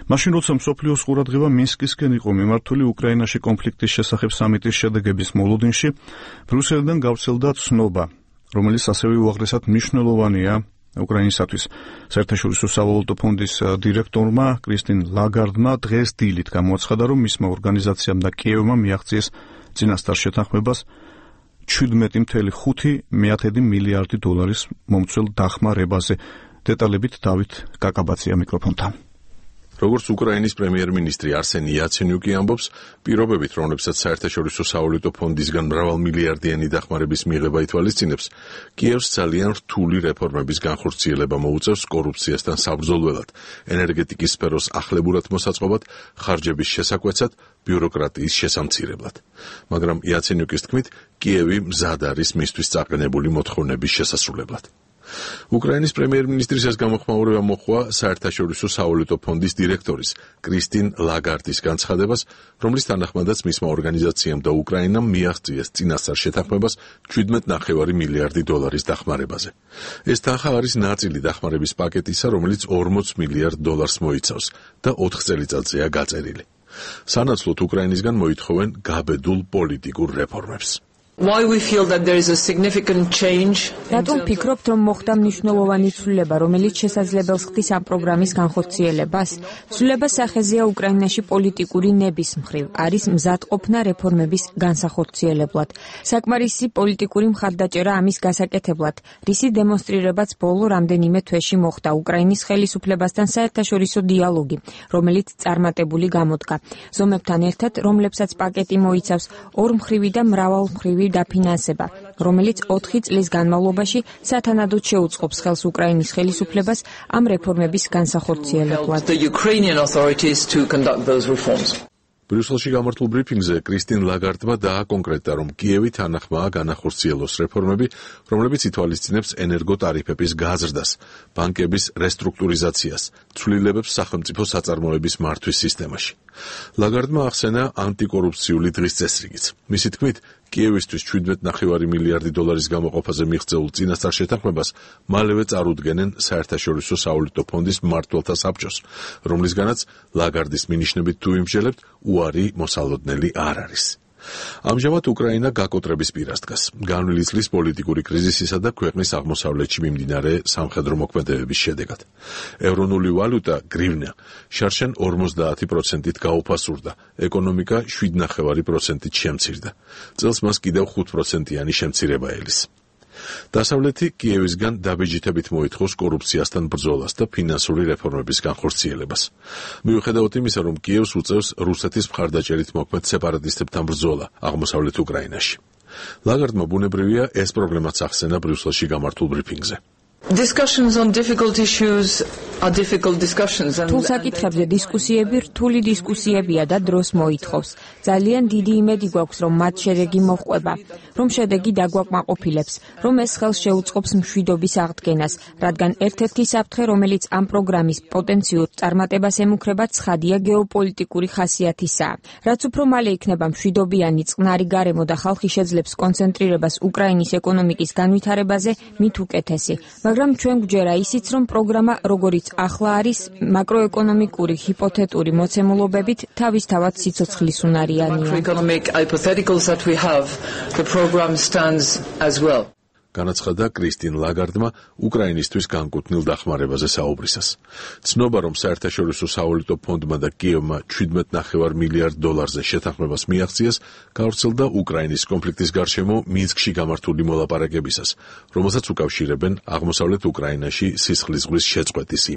მაშინ როცა მსოფლიოს ყურადღება მინსკისკენ იყო მიმართული უკრაინაში კონფლიქტის შესახებ სამიტის შედეგების მოლოდინში, ბრიუსელიდან გავრცელდა ცნობა, რომელიც ასევე უაღრესად მნიშვნელოვანია უკრაინისათვის. საერთაშორისო სავალუტო ფონდის დირექტორმა კრისტინ ლაგარდმა დღეს დილით გამოაცხადა, რომ მისმა ორგანიზაციამ და კიევმა მიაღწიეს წინასწარ შეთანხმებას 17.5 მილიარდი დოლარის მომცველ დახმარებაზე. დეტალებით დავით კაკაბაცია მიკროფონთან. როგორც უკრაინის პრემიერ-მინისტრი არსენი იაცენიუკი ამბობს, პირობებით, რომლებსაც საერთაშორისო სავალუტო ფონდისგან მრავალმილიარდიანი დახმარების მიღება ითვალისწინებს, კიევს ძალიან რთული რეფორმების განხორციელება მოუწევს კორუფციასთან საბრძოლველად, ენერგეტიკის სფეროს ახლებურად მოსაწყობად, ხარჯების შესაკვეცად, ბიუროკრატიის შესამცირებლად. მაგრამ იაცენიუკის თქმით, კიევი მზად არის მისთვის წაყენებული მოთხოვნების შესასრულებლად. უკრაინის პრემიერ-მინისტრის ეს გამოხმაურება მოჰყვა საერთაშორისო სავალუტო ფონდის დირექტორის კრისტინ ლაგარდის განცხადებას, რომლის თანახმადაც მისმა ორგანიზაციამ და უკრაინამ მიაღწიეს წინასწარ შეთანხმებას 17.5 მილიარდი დოლარის დახმარებაზე. ეს თანხა არის ნაწილი დახმარების პაკეტისა, რომელიც 40 მილიარდ დოლარს მოიცავს და 4 წელიწადზეა გაწერილი. სანაცვლოდ უკრაინისგან მოითხოვენ გაბედულ პოლიტიკურ რეფორმებს. Why we feel that there is a significant change? Რატომ ფიქრობთ, რომ მოხდა მნიშვნელოვანი ცვლილება, რომელიც შესაძლებელს ხდის ამ პროგრამის განხორციელებას? ცვლილება სახეზეა უკრაინაში პოლიტიკური ნების მხრივ, არის მზადყოფნა რეფორმების განსახორციელებლად. საკმარისი პოლიტიკური მხარდაჭერა ამის გასაკეთებლად, რისი დემონსტრირებაც ბოლო რამდენიმე თვეში მოხდა უკრაინის ხელისუფლებასთან საერთაშორისო დიალოგი, რომელიც წარმატებული გამოდგა. ზომებთან ერთად, რომლებსაც პაკეტი მოიცავს ორმხრივი და მრავალმხრივი დაფინანსება, რომელიც 4 წლის განმავლობაში სათანადოდ შეუწყობს ხელს უკრაინის ხელისუფლებას ამ რეფორმების განსახორციელებლად. ბრიუსელში გამართულ ბრიფინგზე კრისტინ ლაგარდმა დააკონკრეტა, რომ კიევი თანახმაა განახორციელოს რეფორმები, რომლებიც ითვალისწინებს ენერგოტარიფების გაზრდას, ბანკების რესტრუქტურიზაციას, ცვლილებებს სახელმწიფო საწარმოების მართვის სისტემაში. ლაგარდმა ახსენა ანტიკორუფციული დღის წესრიგიც. მისი თქმით, კიევისთვის 17.5 მილიარდი დოლარის გამოყოფაზე მიღწეულ წინასწარ შეთანხმებას მალევე წარუდგენენ საერთაშორისო სავალუტო ფონდის მმართველთა საბჭოს, რომლისგანაც ლაგარდის მინიშნებით თუ იმსჯელებთ, უარი მოსალოდნელი არ არის. ამჟამად უკრაინა გაკოტრების პირას დგას, განვლილი წლის პოლიტიკური კრიზისისა და ქვეყნის აღმოსავლეთში მიმდინარე სამხედრო მოქმედებების შედეგად. ევრონული ვალუტა გრივნა შარშან 50%-ით გაუფასურდა, ეკონომიკა 7.5%-ით შემცირდა. წელს მას კიდევ 5%-იანი შემცირება ელის. დასავლეთი კიევისგან დაბეჯითებით მოითხოვს კორუფციასთან ბრძოლას და ფინანსური რეფორმების განხორციელებას. მიუხედავად იმისა, რომ კიევს უწევს რუსეთის მხარდაჭერით მოქმედ სეპარატისტებთან ბრძოლა აღმოსავლეთ უკრაინაში. ლაგარდმა ბუნებრივია ეს პრობლემაც ახსენა ბრიუსელში გამართულ ბრიფინგზე. Discussions on difficult issues are difficult discussions. Თუ საკითხებზე დისკუსიები რთული დისკუსიებია და დროს მოითხოვს. ძალიან დიდი იმედი გვაქვს, რომ მათ შედეგი მოჰყვება, რომ შედეგი დაგვაკმაყოფილებს, რომ ეს ხელს შეუწყობს მშვიდობის აღდგენას, რადგან ერთ-ერთი საფრთხე, რომელიც ამ პროგრამის პოტენციურ წარმატებას ემუქრება, ცხადია გეოპოლიტიკური ხასიათისაა. რაც უფრო მალე იქნება მშვიდობიანი წყნარი გარემო და ხალხი შეძლებს კონცენტრირებას უკრაინის ეკონომიკის განვითარებაზე, მით უკეთესი. მაგრამ ჩვენ გვჯერა ისიც, რომ პროგრამა, როგორიც ახლა არის, მაკროეკონომიკური ჰიპოთეტური მოცემულობებით თავისთავად სიცოცხლის უნარიანია. განაცხადა კრისტინ ლაგარდმა უკრაინისთვის განკუთვნილ დახმარებაზე საუბრისას. ცნობა, რომ საერთაშორისო სავალუტო ფონდმა და კიევმა 17.5 მილიარდ დოლარზე შეთანხმებას მიაღწიეს, გავრცელდა უკრაინის კონფლიქტის გარშემო მინსკში გამართული მოლაპარაკებისას, რომელსაც უკავშირებენ აღმოსავლეთ უკრაინაში სისხლის ზღვის შეწყვეტის